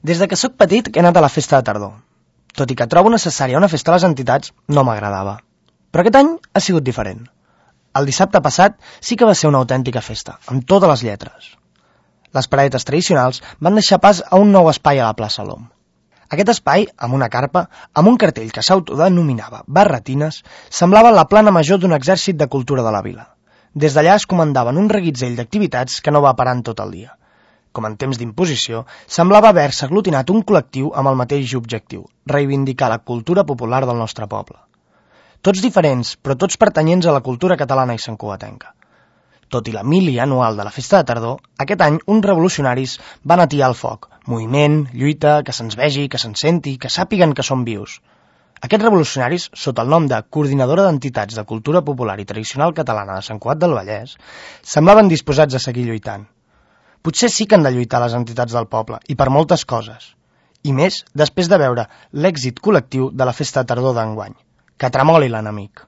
Des de que sóc petit he anat a la festa de tardor. Tot i que trobo necessària una festa a les entitats, no m'agradava. Però aquest any ha sigut diferent. El dissabte passat sí que va ser una autèntica festa, amb totes les lletres. Les paradetes tradicionals van deixar pas a un nou espai a la plaça Lom. Aquest espai, amb una carpa, amb un cartell que s'autodenominava Barretines, semblava la plana major d'un exèrcit de cultura de la vila. Des d'allà es comandaven un reguitzell d'activitats que no va parant tot el dia. Com en temps d'imposició, semblava haver-se aglutinat un col·lectiu amb el mateix objectiu, reivindicar la cultura popular del nostre poble. Tots diferents, però tots pertanyents a la cultura catalana i santcugatenca. Tot i la mili anual de la festa de tardor, aquest any uns revolucionaris van atiar el foc. Moviment, lluita, que se'ns vegi, que se'ns senti, que sàpiguen que som vius. Aquests revolucionaris, sota el nom de Coordinadora d'Entitats de Cultura Popular i Tradicional Catalana de Sant Cugat del Vallès, semblaven disposats a seguir lluitant. Potser sí que han de lluitar les entitats del poble, i per moltes coses. I més després de veure l'èxit col·lectiu de la festa de tardor d'enguany. Que tremoli l'enemic.